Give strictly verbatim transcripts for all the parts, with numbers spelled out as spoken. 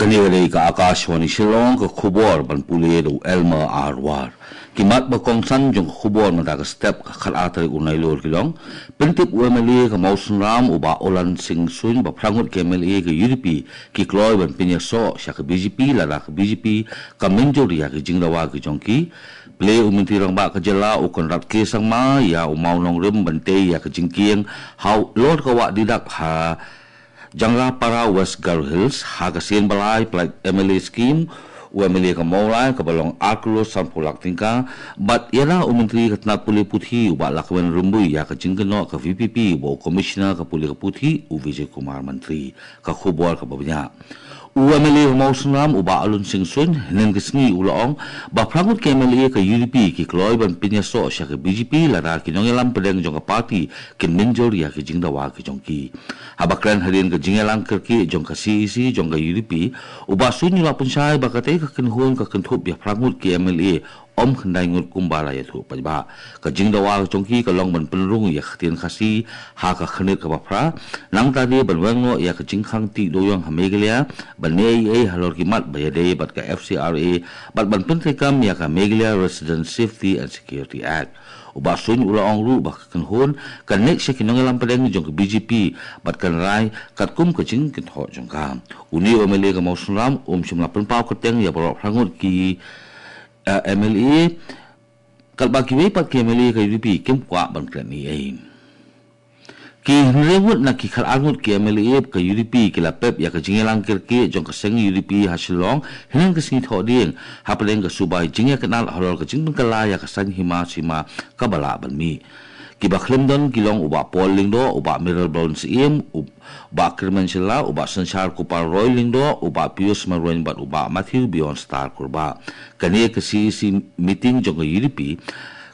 Kane ka dei ka Akashvani Shillong, ka khubor ban pule da u Elmer Arwar. Ki mat ba kongsan jong ka khubor mynta ka step, ka khatar tarik u Nailur ki long: Pyntip u M L A ka Mawsynram u Bah Olan Singh Suin ba phra ngut ki M L A ka U D P ki kloi ban pynïasoh sha ka B J P lada ka B J P ka mynjur ïa ki jingdawa ki jong ki. Plie u Myntri Rangbah ka jylla u Conrad K Sangma ïa u Mawnongrim ban tei ïa ka jingkieng halor ka wah Didak ha Jangrapara, West Garo Hills, ha ka sien ba lai, Plaid M L A Scheme. U M L A ka Mawlai kaba long ar klur sanphew lak tyngka. Bad ïa la u Myntri ka tnat pule puthi u Bah Lahkmen Rymbui ïa ka jingkynnoh ka V P P bad u Commissioner ka pule ka puthi u Vijay Kumar Mantri. Ka khubor kaba bniah. U M L A ka Mawsynram u Bah Olan Singh Suin hynnin ka sngi u la ong ba phra ngut ki M L A ka U D P ki kloi ban pynïasoh sha ka B J P lada ki nongïalam pdeng jong ka party kin mynjur ïa ki jingdawa ki jong ki. Haba kren hadien ka jingïalang kyrkieh jong ka C E C jong ka U D P, u Bah Suin u la pynshai ba katei ka kynhun ka kynthup ïa phra ngut ki M L A, ym khyndai ngut kumba la ïathuh paidbah. Ka jingdawa ka jong ki ka long ban pynrung ïa ka ktien Khasi ha ka khyrnit kaba phra, nangta de ban weng noh ïa ka jingkhang tih dewïong ha Meghalaya, ban ïai ei halor ki mat ba ïadei bad ka F C R A, bad ban pyntreikam ïa ka Meghalaya Resident Safety and Security Act. U Bah Suin u la ong ruh ba ka kynhun kan leit sha ki nongïalam pdeng jong ka B J P bad kan rai katkum ka jingkynthoh jong ka. Une u M L A ka Mawsynram um shym la pynpaw kyrteng ïa baroh phra ngut ki, eh, M L A, katba kiwei pat ki M L A ka U D P kim kwah ban kren ei ei. Ki hynriew ngut na ki khatar ngut ki M L A ka U D P ki la pep ïa ka jingïalang kyrkieh jong ka seng U D P ha Shillong hynnin ka sngi Thohdieng, hapdeng ka subai jingïakynad halor ka jingpynkylla ïa ka saiñ hima sima kaba lah ban mih. Kiba khlem don ki long u Bah Paul Lyngdoh, u Bah Mayralborn Syiem, u Bah Kyrmen Shylla, u Bah Synshar Kupar Roy Lyngdoh, u Bah Pius Marwein bad u Bah Matthew Bjornstar Kurbah. Kane ka C E C meeting jong ka U D P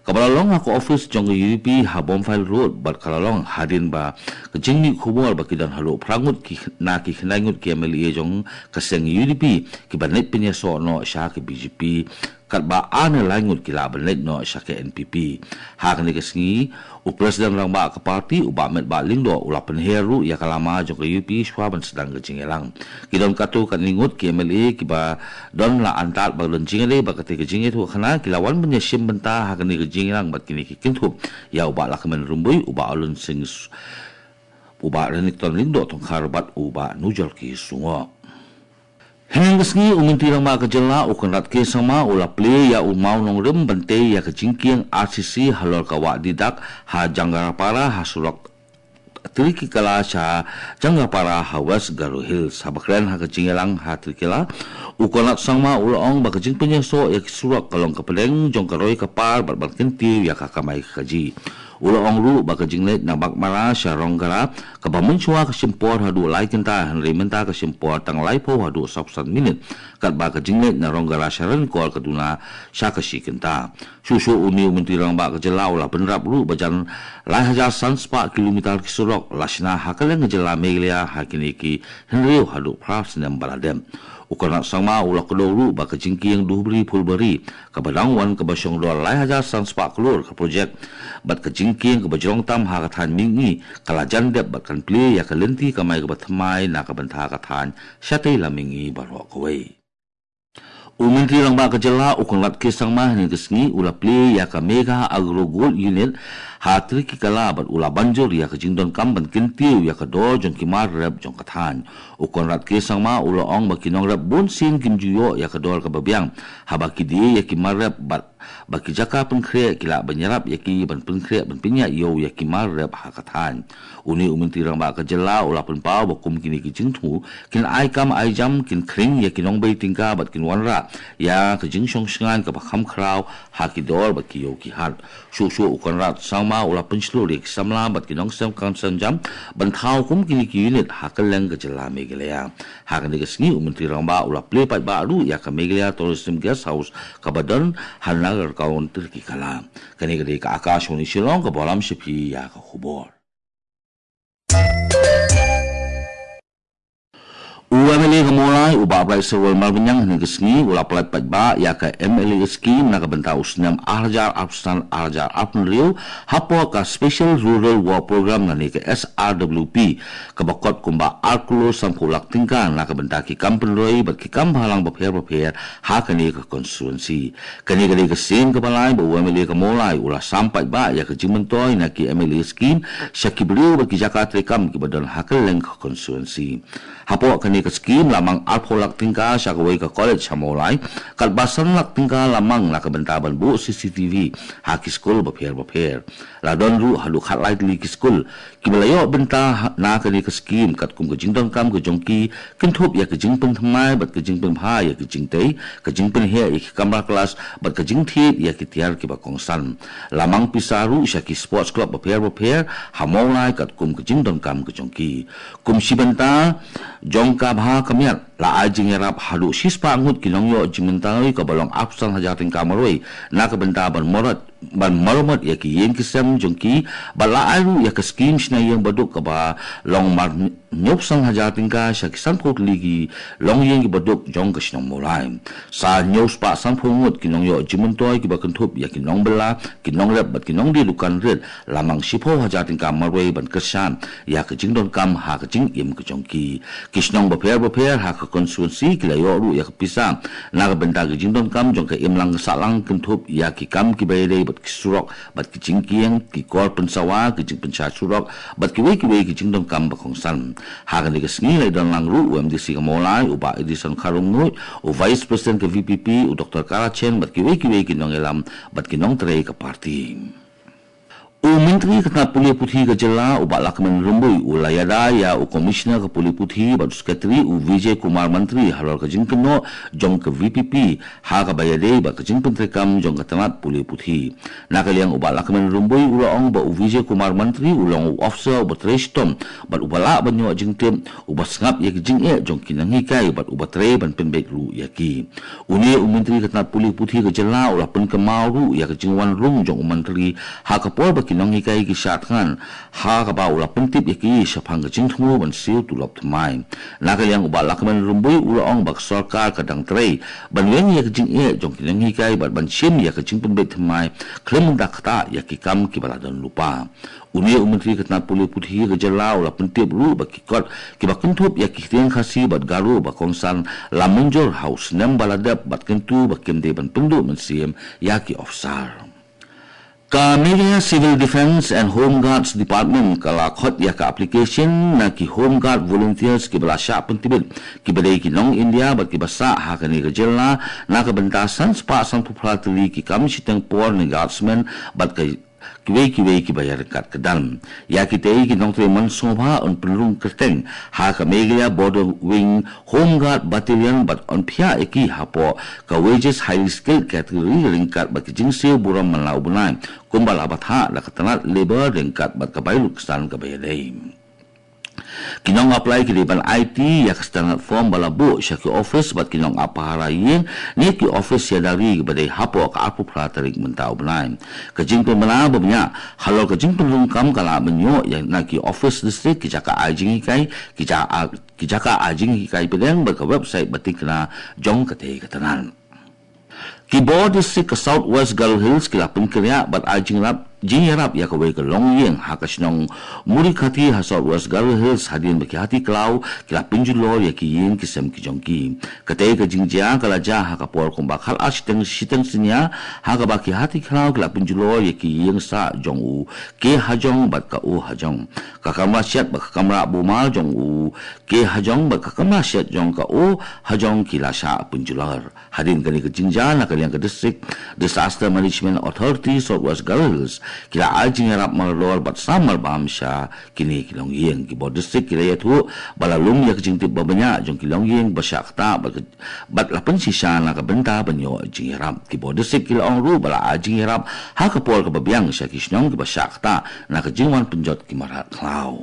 kaba la long ha ka office jong ka U D P ha Bomfile Road bad ka la long hadien ba ka jingmih khubor ba ki don haduh phra ngut ki, na ki khyndai ngut ki M L A jong ka seng U D P kiban leit pynïasoh noh sha ka B J P, katba ar ne lai ngut ki lah ban leit noh sha ka N P P. Ha kane ka sngi u President Rangbah ka party u Bah Metbah Lyngdoh u la pynher ruh ïa ka lama jong ka U D P shuwa ban sdang ka jingïalang. Ki don katto katne ngut ki M L A kiba don la antad ba don jingïadei bad katei ka jingïathuhkhana ki la wan ban ïashim bynta ha kane ka jingïalang bad kine ki kynthup ïa u Bah Lahkmen Rymbui, u Bah Olan Singh S-, u Bah Renikton Lyngdoh Tongkhar bad u Bah Nujorki Sungoh. Hynnin ka sngi u Myntri Rangbah ka jylla u Conrad K Sangma u la plie ïa u Mawnongrim ban tei ïa ka jingkieng R C C halor ka wah Didak ha Jangrapara ha surok Trikikala sha Jangrapara ha West Garo Hills. Haba kren ha ka jingïalang ha Trikikala, u Conrad Sangma u la ong ba ka jingpynïasoh ïa ki surok ka long ka pdeng jong ka roi ka par bad ban kyntiew ïa ka kamai kajih. U la ong ruh ba ka jingleit na Baghmara sha Rongara kaba mynshuwa ka shim por haduh lai kynta, hynrei mynta ka shim por tang laiphew haduh sawphew san minit, katba ka jingleit na Rongara sha Ranikor ka duna sha ka shi kynta. Shuh shuh une u Myntri Rangbah ka jylla u la bynrap ruh ba jan lai hajar san spah kilometer ki surok la shna ha kylleng ka jylla Meghalaya ha kine ki hynriew haduh phra snem ba la dep. U Conrad Sangma u la kdew ruh ba ka jingkieng Dhubri Phulbari kaba dang wan kaba shong dor lai hajar san spah klur ka projek bad ka jingkieng kaba jrong tam ha ka thaiñ mihngi ka la jan dep bad kan plie ïa ka lynti kamai kaba thymmai na ka bynta ka thaiñ shatei lam mihngi baroh kawei. U Myntri Rangbah ka jylla u Conrad K Sangma hynnin ka sngi u la plie ïa ka Megha Agro Gold Unit ha Trikikala bad u la ban jur ïa ka jingdonkam ban kyntiew ïa ka dor jong ki mar rep jong ka thaiñ. U Conrad K Sangma u la ong ba ki nongrep bun sien kim ju ïoh ïa ka dor kaba biang haba ki die ïa ki mar rep bad ba ki jaka pynkhreh ki lah ban ïarap ïa ki ban pynkhreh ban pynïaid ïew ïa ki mar rep ha ka thaiñ. Une u Myntri Rangbah ka jylla u la pynpaw ba kum kine ki jingthmu kin ai kam ai jam, kin khring ïa ki nongbei tyngka bad kin wanrah ïa ka jingshongshngaiñ kaba kham khraw ha ki dor bad ki ïew ki hat. Shuh shuh u Conrad Sangma u la pynshlur ïa ki samla bad ki nongseng kam seng jam ban thaw kum kine ki unit ha kylleng ka jylla Meghalaya. Ha kane ka sngi u Myntri Rangbah u la plie paidbah ruh ïa ka Meghalaya Tourism Guest House kaba don ha Nagargaon Trikikala. Kane ka dei ka Akashvani Shillong kaba lam sha phi ïa ka khubor. U M L A ka Mawlai, u Bah Brightstarwell Marbaniang, hynne ka sngi u la pyllait paidbah ïa ka M L A scheme na ka bynta u snem ar hajar arphew san ar hajar arphew hynriew, hapoh ka Special Rural Work Programme lane ka S R W P, kaba kot kumba ar klur sanphew lak tyngka na ka bynta ki kam pynroi bad ki kam bhalang bapher bapher ha kane ka constituency. Kane ka dei ka sien kaba lai ba u M L A ka Mawlai u la sam paidbah ïa ka jingmyntoi na ki M L A scheme sha ki briew bad ki jaka treikam kiba don ha kylleng ka constituency. Hapoh kane ka scheme la mang arphew lak tyngka sha kawei ka college ha Mawlai, katba san lak tyngka la mang na ka bynta ban buh C C T V ha ki skul bapher bapher. La don ruh haduh khatlai tylli ki skul kiba la ïoh bynta ha, na kane ka scheme, katkum ka jingdonkam ka jong ki, kynthup ïa ka jingpynthymmai bad ka jingpynbha ïa ka jingtei, ka jingpynheh ïa ki kamra klas bad ka jingthied ïa ki tiar kiba kongsan. La mang pisa ruh sha ki sports club bapher bapher ha Mawlai katkum ka jingdonkam ka jong ki. Kum shi bynta jong ka bha ka miat, la ai jingïarap haduh shispah ngut ki nongïoh jingmyntoi kaba long arphew san hajar tyngka marwei na ka bynta ban murot ban maramot ïa ki ïing ki sem jong ki, bad la ai ruh ïa ka scheme shna ïing baduk kaba long mar hynñiewphew san hajar tyngka sha ki sanphew tylli ki longïing kiba duk jong ka shnong Mawlai. Sa hynñiewspah sanphew ngut ki nongïoh jingmyntoi kiba kynthup ïa ki nongbylla, ki nongrep bad ki nongdie dukan rit, la mang shiphew hajar tyngka marwei ban kyrshan ïa ka jingdonkam ha ka jingim ka jong ki. Ki shnong bapher bapher ha ka constituency ki la ïoh ruh ïa ka pisa na ka bynta ka jingdonkam jong ka imlang ka sahlang, kynthup ïa ki kam kiba ïadei bad ki surok bad ki jingkieng, ki kor pynsawa, ki jingpynshai surok bad kiwei kiwei ki jingdonkam ba kongsan. Ha kane ka sngi la ïadon lang ruh u M D C ka Mawlai, u Bah Edison Kharumnuid, u Vice President ka V P P, u Doktor Karachen bad kiwei kiwei ki nongïalam bad ki nongtrei ka party. U Myntri ka tnat pule puthi ka jylla, u Bah Lahkmen Rymbui, u la ïada ïa u Commissioner ka pule puthi bad u Secretary, u Vijay Kumar Mantri, halor ka jingkynnoh jong ka V P P ha kaba ïadei bad ka jingpyntreikam jong ka tnat pule puthi. Na ka liang u Bah Lahkmen Rymbui u la ong ba u Vijay Kumar Mantri u long u officer uba trei shitom bad uba lah ban ïoh jingtip, uba sngap ïa ki jingeh jong ki nonghikai bad uba trei ban pynbeit ruh ïa ki. Une u Myntri ka tnat pule puthi ka jylla u la pynkynmaw ruh ïa ka jingwan rung jong u Mantri ha ka por ba ki nonghikai ki shah thngan, ha kaba u la pyntip ïa ki shaphang ka jingthmu ban siew tulop thymmai. Na ka liang u Bah Lahkmen Rymbui u la ong ba ka sorkar ka dang trei ban weng ïa ka jingeh jong ki nonghikai bad ban shim ïa ka jingpynbeit thymmai khlem da ktah ïa ki kam kiba la don lypa. Une u Myntri ka tnat pule puthi ka jylla u la pyntip ruh ba ki kot kiba kynthup ïa ki ktien Khasi bad Garo ba kongsan la mynjur ha u snem ba la dep bad kyntu ba kim dei ban pynduh mynsiem ïa ki officer. Ka Meghalaya Civil Defence and Home Guards Department ka la khot ïa ka application na ki Home Guard volunteers kiba la shah pyntbit, kiba dei ki nong India bad kiba sah ha kane ka jylla, na ka bynta san spah sanphew phra tylli ki kam shiteng por ne guardsmen bad ka kiwei kiwei kiba ïaryngkat kyrdan. Ïa kitei ki nongtrei man sngewbha yn pynrung kyrteng ha ka Meghalaya Border Wing Home Guard Battalion bad yn phiah ïa ki hapoh ka wages highly skilled category ryngkat bad ki jingsiew burom man la u bnai, kumba la bthah da ka tnat Labour ryngkat bad ka bai lut ksan kaba ïadei. Ki nong apply ki dei ban aiti ïa ka standard form ba la buh sha ki office bad ki nong ap pahara ïing ne ki office ïa dari kiba dei hapoh ka arphew phra tarik mynta u bnai. Ka jingpynbna ba bniah halor ka jingpynrung kam ka la mynjur ïa na ki office district, ki jaka ai jinghikai, ki jaka, ki jaka ai jinghikai pdeng bad ka website ba tikna jong katei ka tnat. Ki bor district ka South West Garo Hills ki la pynkynriah bad ai jingïarap, jingïarap ïa kawei ka longïing ha ka shnong Murikhati ha South West Garo Hills, hadien ba ki hati khlaw ki la pynjulor ïa ki ïing ki sem ki jong ki. Katei ka jingjia ka la jia ha ka por kumba khatar shiteng, shiteng synñia, ha kaba ki hati khlaw ki la pynjulor ïa ki ïing sah jong u K Hajong bad ka O Hajong. Ka kamra shet bad ka kamra bumar jong u K Hajong bad ka kamra shet jong ka O Hajong ki la shah pynjulor. Hadien kane ka jingjia, na ka liang ka District Disaster Management Authority South West Garo Hills ki la ai jingïarap mardor bad sam marbam sha kine ki longïing. Ki bor district ki la ïathuh ba la lum ïa ka jingtip ba bniah jong ki longïing ba shah ktah bad ka, bad la pynshisha na ka bynta ban ïoh jingïarap. Ki bor district ki la ong ruh ba la ai jingïarap ha ka por kaba biang sha ki shnong kiba shah ktah na ka jingwan pynjot ki mrad khlaw.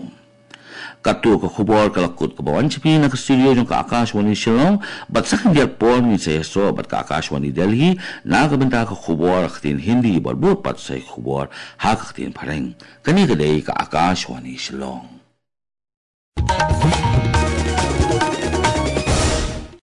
Katto ka khubor ka la kut kaba wan sha phi na ka studio jong ka Akashvani Shillong, bad sa khyndiat por ngin sa ïasoh bad ka Akashvani Delhi na ka bynta ka khubor ha ka ktien Hindi, bad bud pat sa ki khubor ha ka ktien Phareng. Kane ka dei ka Akashvani Shillong.